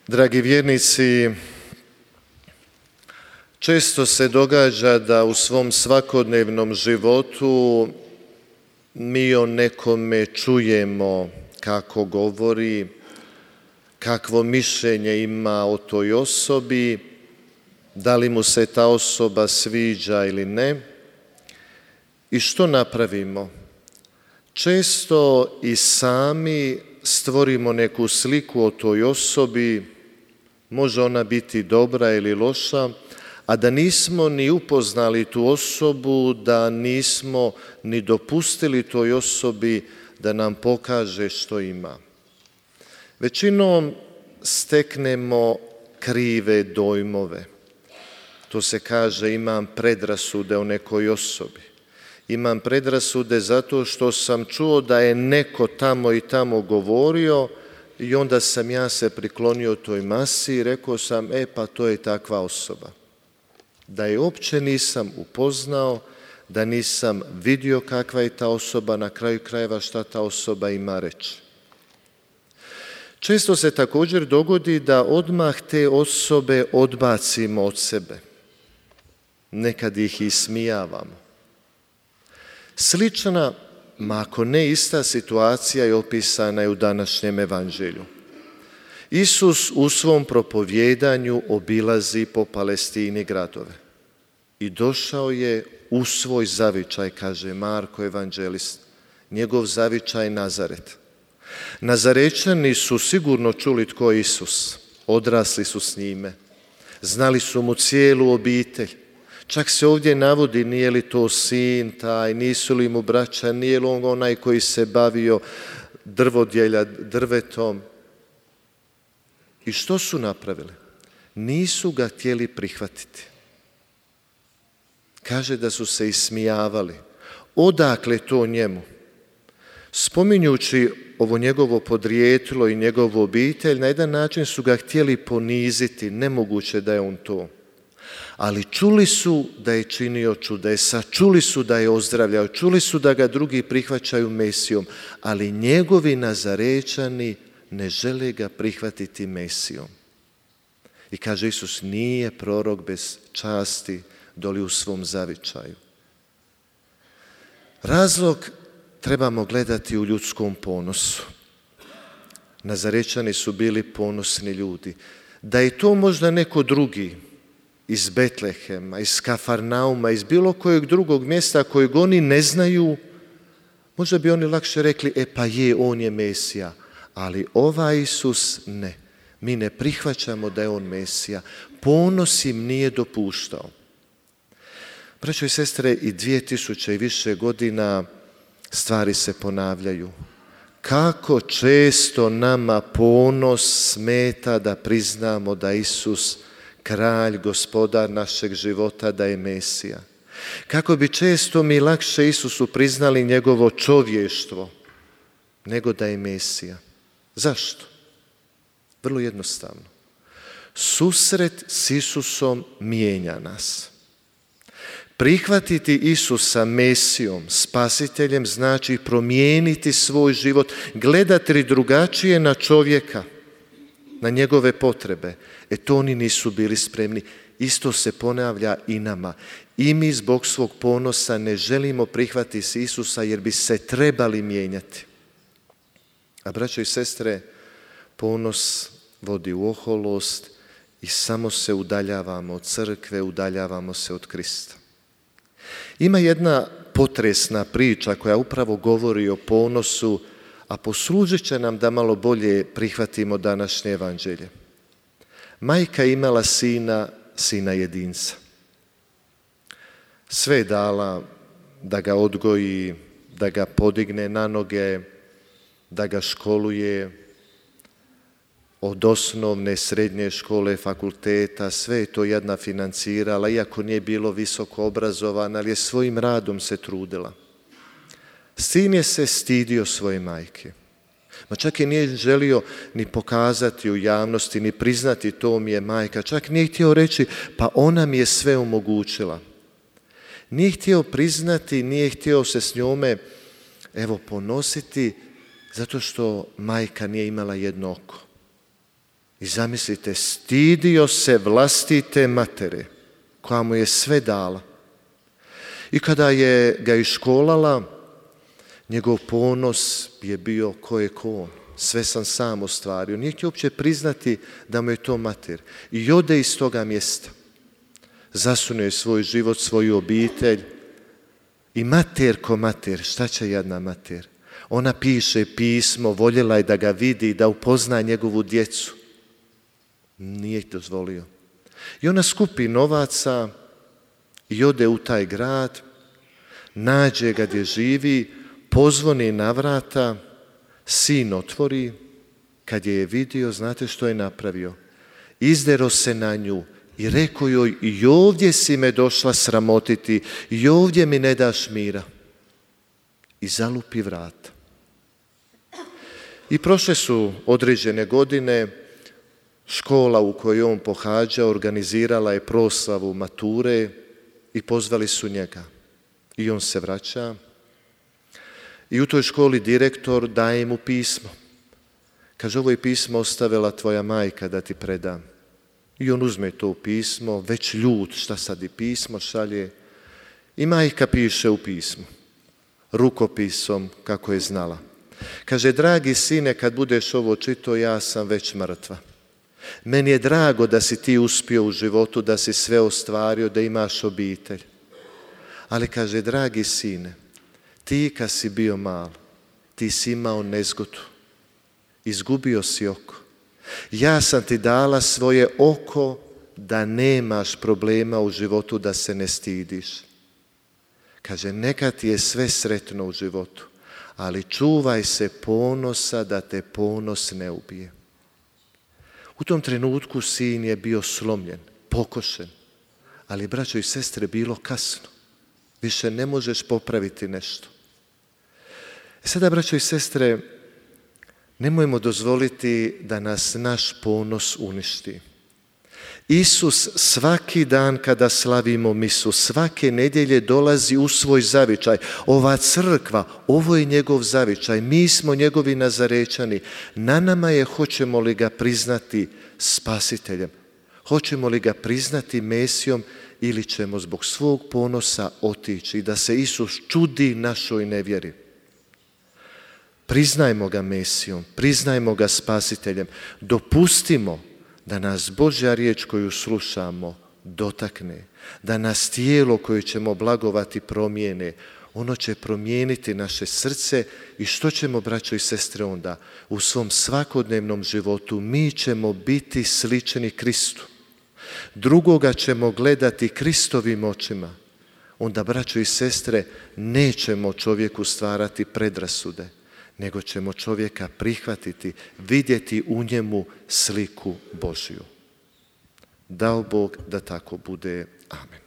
Dragi vjernici, često se događa da u svom svakodnevnom životu mi o nekome čujemo kako govori, kakvo mišljenje ima o toj osobi, da li mu se ta osoba sviđa ili ne. I što napravimo? Često i sami stvorimo neku sliku o toj osobi, može ona biti dobra ili loša, a da nismo ni upoznali tu osobu, da nismo ni dopustili toj osobi da nam pokaže što ima. Većinom steknemo krive dojmove. To se kaže imam predrasude o nekoj osobi. Imam predrasude zato što sam čuo da je neko tamo i tamo govorio i onda sam ja se priklonio toj masi i rekao sam, pa to je takva osoba. Da je uopće nisam upoznao, da nisam vidio kakva je ta osoba, na kraju krajeva šta ta osoba ima reći. Često se također dogodi da odmah te osobe odbacimo od sebe. Nekad ih ismijavamo. Slična, ma ako ne ista situacija je opisana i u današnjem evanđelju. Isus u svom propovjedanju obilazi po Palestini gradove i došao je u svoj zavičaj, kaže Marko evanđelist, njegov zavičaj Nazaret. Nazarećani su sigurno čuli tko je Isus, odrasli su s njime, znali su mu cijelu obitelj. Čak se ovdje navodi nije li to sin taj, nisu li mu braća, nije li on onaj koji se bavio drvetom. I što su napravili? Nisu ga htjeli prihvatiti. Kaže da su se ismijavali. Odakle to njemu? Spominjući ovo njegovo podrijetlo i njegovu obitelj, na jedan način su ga htjeli poniziti, nemoguće da je on to. Ali čuli su da je činio čudesa, čuli su da je ozdravljao, čuli su da ga drugi prihvaćaju Mesijom, ali njegovi Nazarećani ne žele ga prihvatiti Mesijom. I kaže Isus, nije prorok bez časti doli u svom zavičaju. Razlog trebamo gledati u ljudskom ponosu. Nazarećani su bili ponosni ljudi. Da je to možda neko drugi, iz Betlehema, iz Kafarnauma, iz bilo kojeg drugog mjesta kojeg oni ne znaju, možda bi oni lakše rekli, pa on je Mesija, ali ovaj Isus ne. Mi ne prihvaćamo da je on Mesija. Ponos im nije dopuštao. Braćo i sestre, i 2000 i više godina stvari se ponavljaju. Kako često nama ponos smeta da priznamo da Isus kralj, gospodar našeg života, da je Mesija. Kako bi često mi lakše Isusu priznali njegovo čovještvo, nego da je Mesija. Zašto? Vrlo jednostavno. Susret s Isusom mijenja nas. Prihvatiti Isusa Mesijom, spasiteljem, znači promijeniti svoj život, gledati drugačije na čovjeka, na njegove potrebe. To oni nisu bili spremni. Isto se ponavlja i nama. I mi zbog svog ponosa ne želimo prihvatiti Isusa jer bi se trebali mijenjati. A braćo i sestre, ponos vodi u oholost i samo se udaljavamo od crkve, udaljavamo se od Krista. Ima jedna potresna priča koja upravo govori o ponosu, a poslužit će nam da malo bolje prihvatimo današnje evanđelje. Majka je imala sina jedinca. Sve je dala da ga odgoji, da ga podigne na noge, da ga školuje, od osnovne, srednje škole, fakulteta, sve je to jedna financirala, iako nije bilo visoko obrazovan, ali je svojim radom se trudila. Sin je se stidio svoje majke. Ma čak i nije želio ni pokazati u javnosti, ni priznati to mi je majka. Čak nije htio reći, pa ona mi je sve omogućila. Nije htio priznati, nije htio se s njome ponositi, zato što majka nije imala jedno oko. I zamislite, stidio se vlastite matere, koja mu je sve dala. I kada je ga iškolala, njegov ponos je bio ko je ko on. Sve sam sam ostvario. Nije htio uopće priznati da mu je to mater. I ode iz toga mjesta. Zasunuje svoj život, svoju obitelj. I mater ko mater, šta će jedna mater? Ona piše pismo, voljela je da ga vidi, da upozna njegovu djecu. Nije ih dozvolio. I ona skupi novaca i ode u taj grad, nađe ga gdje živi, pozvoni na vrata, sin otvori, kad je vidio, znate što je napravio? Izdero se na nju i rekao joj, i ovdje si me došla sramotiti, i ovdje mi ne daš mira. I zalupi vrata. I prošle su određene godine, škola u kojoj on pohađa organizirala je proslavu mature i pozvali su njega. I on se vraća. I u toj školi direktor daje mu pismo. Kaže, ovo je pismo ostavila tvoja majka da ti predam. I on uzme to pismo, već ljut, šta sad i pismo šalje. I majka piše u pismu, rukopisom kako je znala. Kaže, dragi sine, kad budeš ovo čitao, ja sam već mrtva. Meni je drago da si ti uspio u životu, da si sve ostvario, da imaš obitelj. Ali kaže, dragi sine, ti kad si bio mal, ti si imao nezgodu. Izgubio si oko. Ja sam ti dala svoje oko da nemaš problema u životu, da se ne stidiš. Kaže, neka ti je sve sretno u životu, ali čuvaj se ponosa da te ponos ne ubije. U tom trenutku sin je bio slomljen, pokošen, ali braćo i sestre, bilo kasno. Više ne možeš popraviti nešto. Sada, braćo i sestre, nemojmo dozvoliti da nas naš ponos uništi. Isus svaki dan kada slavimo misu, svake nedjelje dolazi u svoj zavičaj. Ova crkva, ovo je njegov zavičaj, mi smo njegovi Nazarećani. Na nama je hoćemo li ga priznati spasiteljem, hoćemo li ga priznati Mesijom ili ćemo zbog svog ponosa otići da se Isus čudi našoj nevjeri. Priznajmo ga Mesijom, priznajmo ga spasiteljem, dopustimo da nas Božja riječ koju slušamo dotakne, da nas tijelo koje ćemo blagovati promijene. Ono će promijeniti naše srce i što ćemo, braćo i sestre, onda? U svom svakodnevnom životu mi ćemo biti slični Kristu. Drugoga ćemo gledati Kristovim očima. Onda, braćo i sestre, nećemo čovjeku stvarati predrasude, nego ćemo čovjeka prihvatiti, vidjeti u njemu sliku Božju. Dao Bog da tako bude. Amen.